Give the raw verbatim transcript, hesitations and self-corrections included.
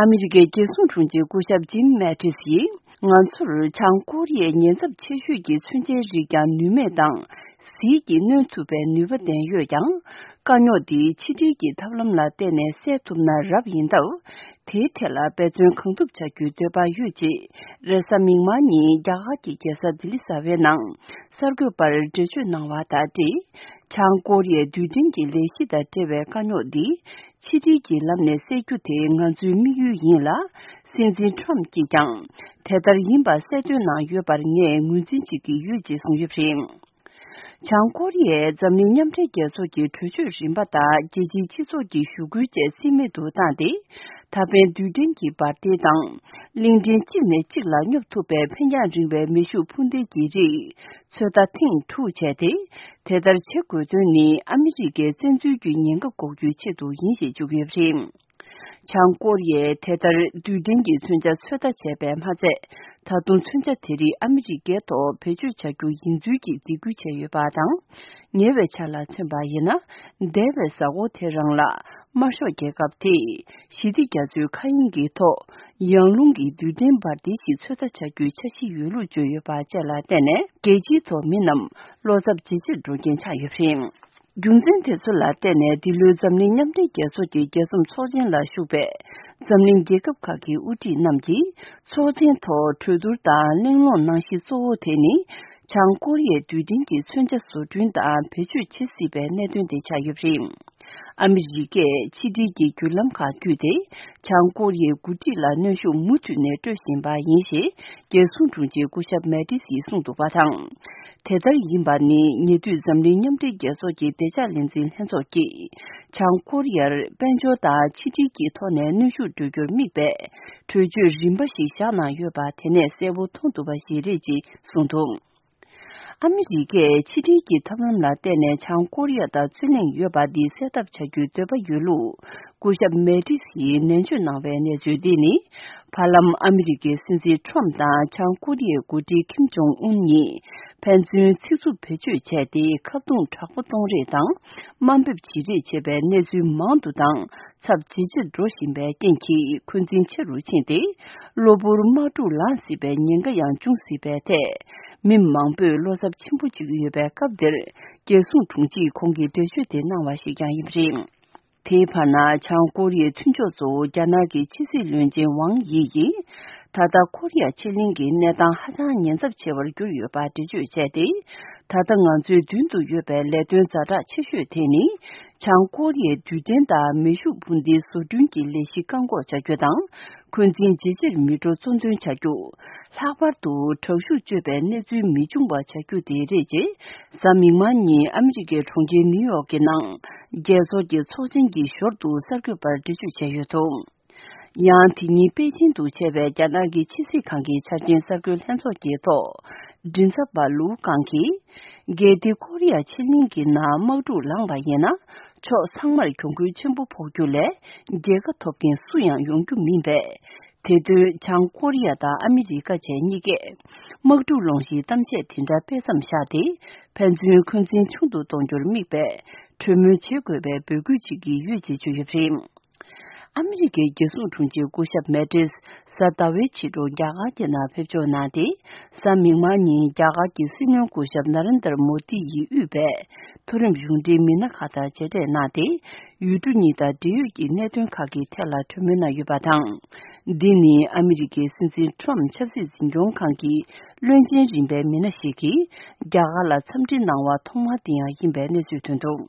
ཨ་མི་རི་ཀའི་རྒྱལ་སྲུང་དྲུང་ཆེ་སྐུ་ཞབས་ཇིམ་མེ་ཏིས་ཡིས། ང་ཚོར་བྱང་ཀོ་རི་ཡའི་ཉེན་ཚབས་ཆེ་ཤོས་ཀྱི་མཚོན་ཆའི་རིགས་ཀྱང་ནུས་མེད་དང་། ཟིལ་གྱིས་གནོན་ཐུབ་པའི་ནུས་པ་ལྡན་ཡོད་ཀྱང་། དཀའ་རྙོག་འདི་ཕྱི་འབྲེལ་གྱི་ཐབས་ལམ་ལ་བརྟེན་ནས་སེལ་ཐུབ་ན་རབ་ཡིན་སྟབས། དེའི་ཐད་ལ་འབད་བརྩོན་གང་ཐུབ་བྱ་རྒྱུའི་འདོད་པ་ཡོད་ཅེས། རེས་གཟའ་མིག་དམར་ཉིན་རྒྱ་གར་གྱི་རྒྱལ་ས་ལྡི་ལི་གསར་པའི་ནང་གསར་འགོད་པར་འགྲེལ་བརྗོད་གནང་བ་དང་འབྲེལ། བྱང་ཀོ་རི་ཡའི་རྡུལ་ཕྲན་གྱི་ལས་གཞི་དང་འབྲེལ་བའི་དཀའ་རྙོག་འདི། ཕྱི་འབྲེལ་གྱི་ལམ་ནས་སེལ་རྒྱུ་དེ་ང་ཚོའི་དམིགས་ཡུལ་ཡིན་ལ། སྲིད་འཛིན་ཁྲོམ་གྱིས་ཀྱང་དེ་ལྟར་ཡིན་པ་གསལ་སྟོན་གནང་ཡོད་པར་ངས་ངོས་འཛིན་བྱེད་ཀྱི་ཡོད་ཅེས་གསུངས་ཡོད་པ་རེད། བྱང་ཀོ་རི་ཡས་འཛམ་གླིང་མཉམ་འབྲེལ་རྒྱལ་ཚོགས་ཀྱི་གྲོས་ཆོད་རིམ་པ་དང་རྒྱལ་སྤྱིའི་སྤྱི་ཚོགས་ཀྱི་ཞུ་སྐུལ་བཅས་རྩིས་མེད་དུ་བཏང་སྟེ། ད་ཕན་རྡུལ་ཕྲན་གྱི་འབར་མདེལ་དང་། གླིང་ཕྲན་གཅིག་ནས་གཅིག་ལ་སྙོབ་ཐུབ་པའི་འཕེན་རྒྱང་རིང་བའི་མེ་ཤུགས་འཕུར་མདེལ་གྱི་རིགས་ཚོད་ལྟ་ཐེངས་དྲུག་བྱས་ཏེ། དེ་ལྟར་བྱེད་དགོས་དོན་ནི་ཨ་མི་རི་ཀའི་བཙན་འཛུལ་གྱི་ཉེན་ཁ་འགོག་རྒྱུའི་ཆེད་དུ་ཡིན་ཞེས་བརྗོད་ཀྱི་ཡོད་པ་རེད། བྱང་ཀོ་རི་ཡས་དེ་ལྟར་རྡུལ་ཕྲན་གྱི་མཚོན་ཆ་ཚོད་ལྟ་བྱས་པས་མ་ཚད། ད་དུང་མཚོན་ཆ་དེ་རིགས་ཨ་མི་རི་ཀའི་ཐོག་བེད་སྤྱོད་བྱ་རྒྱུ་ཡིན་ཚུལ་གྱི་འཇིགས་སྐུལ་བྱས་ཡོད་པ་དང་། ཉེ་བའི་ཆར་ལ་མཚོན་པ་ཡིན་ན། འདས་པའི་གཟའ་འཁོར་དེ་རང་ལ་དམར་ཤོག་རྒྱལ་ཁབ་དེས་ཞི་བདེ་རྒྱ་མཚོའི་མཁའ་དབྱིངས་ཀྱི་ཐོག་ཡང་རླུང་གི་རྡུལ་ཕྲན་འབར་མདེལ་ཞིག་ཚོད་ལྟ་བྱ་རྒྱུའི་འཆར་གཞི་ཡོད་ལུགས་བརྗོད་ཡོད་པ་བཅས་ལ་བརྟེན་ནས་རྒྱལ་སྤྱིའི་ཐོག་མི་རྣམས་བློ་འཚབ་ཇེ་ཆེར་འགྲོ་རྐྱེན་ཆགས་ཡོད་པ་རེད། རྒྱུ་མཚན་དེ་ཚོ་ལ་བརྟེན་ནས་འདི་ལོའི་འཛམ་གླིང་མཉམ་འབྲེལ་རྒྱལ་ཚོགས་ཀྱི་རྒྱལ་འཛོམས་ཚོགས་ཆེན་ལ་ཞུགས་པའི་འཛམ་གླིང་རྒྱལ་ཁབ་ཁག་གི་དབུ་ཁྲིད་རྣམས་ཀྱིས་ཚོགས་ཆེན་ཐོག་གྲོས་བསྡུར་དང་གླེང་སློང་གནང་གཞི་གཙོ་བོ་དེ་ནི། བྱང་ཀོ་རི་ཡའི་རྡུལ་ཕྲན་གྱི་མཚོན་ཆ་བཟོ་སྐྲུན་དང་བེད་སྤྱོད་བྱེད་སྲིད་པའི་གནད་དོན་དེ་ཆགས་ཡོད་པ་རེད། ཨ་མི་རི་ཀས་ཕྱི་འབྲེལ་གྱི་བརྒྱུད་ལམ་ཁག་བརྒྱུད་དེ། བྱང་ཀོ་རི་ཡའི་འགོ་ཁྲིད་ལ་གནོན་ཤུགས་མུ་མཐུད་ནས་སྤྲོད་བཞིན་པ་ཡིན་ཞེས། རྒྱལ་སྲུང་དྲུང་ཆེ་སྐུ་ཞབས་མེ་ཏིས་ཡིས་གསུངས་འདུག་པ་དང་། དེ་ལྟར་ཡིན་པ་ནི་ཉེ་དུས་འཛམ་གླིང་མཉམ་འབྲེལ་རྒྱལ་ཚོགས་ཀྱི་བདེ་འཇགས་ལས་འཛིན་ལྷན་ཚོགས་ཀྱིས། བྱང་ཀོ་རི་ཡར་དཔལ་འབྱོར་དང་ཕྱི་འབྲེལ་གྱི་ཐོག་ནས་གནོན་ཤུགས་སྤྲོད་རྒྱུར་དམིགས་པའི་གྲོས་ཆོད་རིམ་པ་ཞིག་བཞག་གནང་ཡོད་པ་དེ་ནས་གསལ་པོ་མཐོང་ཐུབ་པ་ཞིག་རེད་ཅེས་གསུངས་འདུག་ཨ་མི་རི་ཀས་ཕྱི་འབྲེལ་གྱི་ཐབས་ལམ་ལ་བརྟེན་ནས་བྱང་ཀོ་རི་ཡ་དང་རྩོད་གླེང་ཡོད་པ་འདི་སེལ་ཐབས་བྱ་རྒྱུའི་འདོད་པ་ཡོད་ལུགས། སྐུ་ཞབས་མེ་ཏིས་ཡིས་ནན་བརྗོད་གནང་བའི་གནས་ཚུལ་འདི་ནི། བར་ལམ་ཨ་མི་རི་ཀའི་སྲིད་འཛིན་ཁྲོམ་དང་བྱང་ཀོ་རི་ཡའི་འགོ་ཁྲིད་ཁིམ་ཇོང་ཨུན་གཉིས་ཕན་ཚུན་ཚིག་རྩུབ་བེད་སྤྱོད་བྱས་ཏེ། ཁ་རྡུང་དྲག་པོ་གཏོང་རེས་དང་། དམའ་འབེབས་བྱེད་རེས་བྱེད་པའི་གནས་ཚུལ་མང་དུ་དང་། ཚབས་ཇེ་ཆེར་འགྲོ་བཞིན་པའི་རྐྱེན་གྱིས་འཁོན་འཛིན་ཆེ་རུ་ཕྱིན་ཏེ། གློ་བུར་དམག་འཁྲུག་ལངས་སྲིད་པའི་ཉེན་ཁ་ཡང་འབྱུང་སྲིད་པའི་ཐད། མི་མང་པོས་བློ་འཚབ་ཆེན་པོ་བྱེད་ཀྱི་ཡོད་པའི་སྐབས་འདིར། རྒྱལ་སྲུང་དྲུང་ཆེས་ཁོང་གིས་འགྲེལ་བརྗོད་དེ་གནང་བ་ཞིག་ཀྱང་ཡིན་པ་རེད། དེའི་བར་ན། བྱང་ཀོ་རི་ཡའི་མཐུན་ཕྱོགས་གཙོ་བོ་རྒྱ་ནག་གི་ཕྱི་སྲིད་བློན་ཆེན་ཝང་དབྱི་ཡིས། ད་ལྟ་ཁོ་རི་ཡ་ཕྱེད་གླིང་གི་གནས་སྟངས་ཧ་ཅང་ཉེན་ཚབས་ཆེ་བར་གྱུར་ཡོད་པ་འགྲེལ་བརྗོད་བྱས་ཏེ། ད་ལྟ་ང་ཚོའི་མདུན་དུ་ཡོད་པའི་ལས་དོན་ཛ་དྲག་ཆེ་ཤོས་དེ་ནི། བྱང་ཀོ་རི་ཡའི་རྡུལ་ཕྲན་དང་མེ་ཤུགས་འཕུར་མདེལ་བཟོ་སྐྲུན་གྱི་ལས་གཞི་བཀག་འགོག་བྱ་རྒྱུ་དང་། འཁོན་འཛིན་ཇེ་ཆེར་མི་འགྲོ་གཙོ་འདོན་བྱ་རྒྱུ། ལྷག་པར་དུ་དྲག་ཤུགས་སྤྱོད་པའི་གནས་ཚུལ་མི་འབྱུང་བ་བྱ་རྒྱུ་དེ་རེད་ཅེས། གཟའ་མིག་དམར་ཉིན་ཨ་མི་རི་ཀའི་གྲོང་ཁྱེར་ནིའུ་ཡོག་གི་ནང་། རྒྱལ་ཚོགས་ཀྱི་ཚོགས་ཆེན་གྱི་ཞོར་དུ་གསར་འགོད་པར་འགྲེལ་བརྗོད་བྱས་ཡོད་འདུག་ཡང་དེ་ཉིན་པེ་ཅིན་དུ་བྱས་པའི་རྒྱ་ནག་གི་ཕྱི་སྲིད་ཁང་གི་འཆར་ཅན་གསར་འགོད་ལྷན་ཚོགས་ཀྱི་ཐོག་མགྲིན་ཚབ་པ་ལུའུ་ཀང་གིས། གལ་ཏེ་ཁོ་རི་ཡ་ཕྱེད་གླིང་གི་ནང་དམག་འཁྲུག་ལངས་པ་ཡིན་ན། ཕྱོགས་ཚང་མར་གྱོང་གུན་ཆེན་པོ་ཕོག་རྒྱུ་ལས། རྒྱལ་ཁ་ཐོབ་མཁན་སུ་ཡང་ཡོང་རྒྱུ་མིན་པས། དེ་དོན་བྱང་ཀོ་རི་ཡ་དང་ཨ་མི་རི་ཀ་བཅས་གཉིས་ཀས། དམག་འཁྲུག་སློང་གཞིའི་གཏམ་བཤད་དེ་འདྲ་སྤེལ་མཚམས་བཞག་སྟེ། ཕན་ཚུན་འཁོན་འཛིན་ཆུང་དུ་གཏོང་རྒྱུར་དམིགས་པའི་གྲོས་མོལ་བྱེད་དགོས་པའི་འབོད་སྐུལ་བྱེད་ཀྱི་ཡོད་ཅེས་བརྗོད་ཡོད་པ་རེད། ཨ་མི་རི་ཀའི་རྒྱལ་སྲུང་དྲུང་ཆེ་སྐུ་ཞབས་མེ་ཏིས་གཟའ་ཟླ་བའི་ཕྱི་དྲོ་རྒྱ་གར་གྱི་ནང་ཕེབས་འབྱོར་གནང་སྟེ། གཟའ་མིག་དམར་ཉིན་རྒྱ་གར་གྱི་སྲིད་བློན་སྐུ་ཞབས་ན་རེན་དར་མོ་དི་ཡིས་དབུས་པའི་མཐོ་རིམ་གཞུང་འབྲེལ་མི་སྣ་ཁག་དང་མཇལ་འཕྲད་གནང་སྟེ། ཡུལ་གྲུ་གཉིས་དང་འབྲེལ་ཡོད་ཀྱི་གནད་དོན་ཁག་གི་ཐད་ལ་གྲོས་མོལ་གནང་ཡོད་པ་དང་། འདི་ནི་ཨ་མི་རི་ཀའི་སྲིད་འཛིན་ཁྲོམ་ཆབ་སྲིད་འཛིན་སྐྱོང་ཁང་གི་བློན་ཆེན་རིམ་པའི་མི་སྣ་ཞིག་གིས་རྒྱ་གར་ལ་འཚམས་འདྲི་གནང་བ་ཐོག་མ་དེ་ཡང་ཡིན་པའི་གནས་ཚུལ་ཐོན་འདུག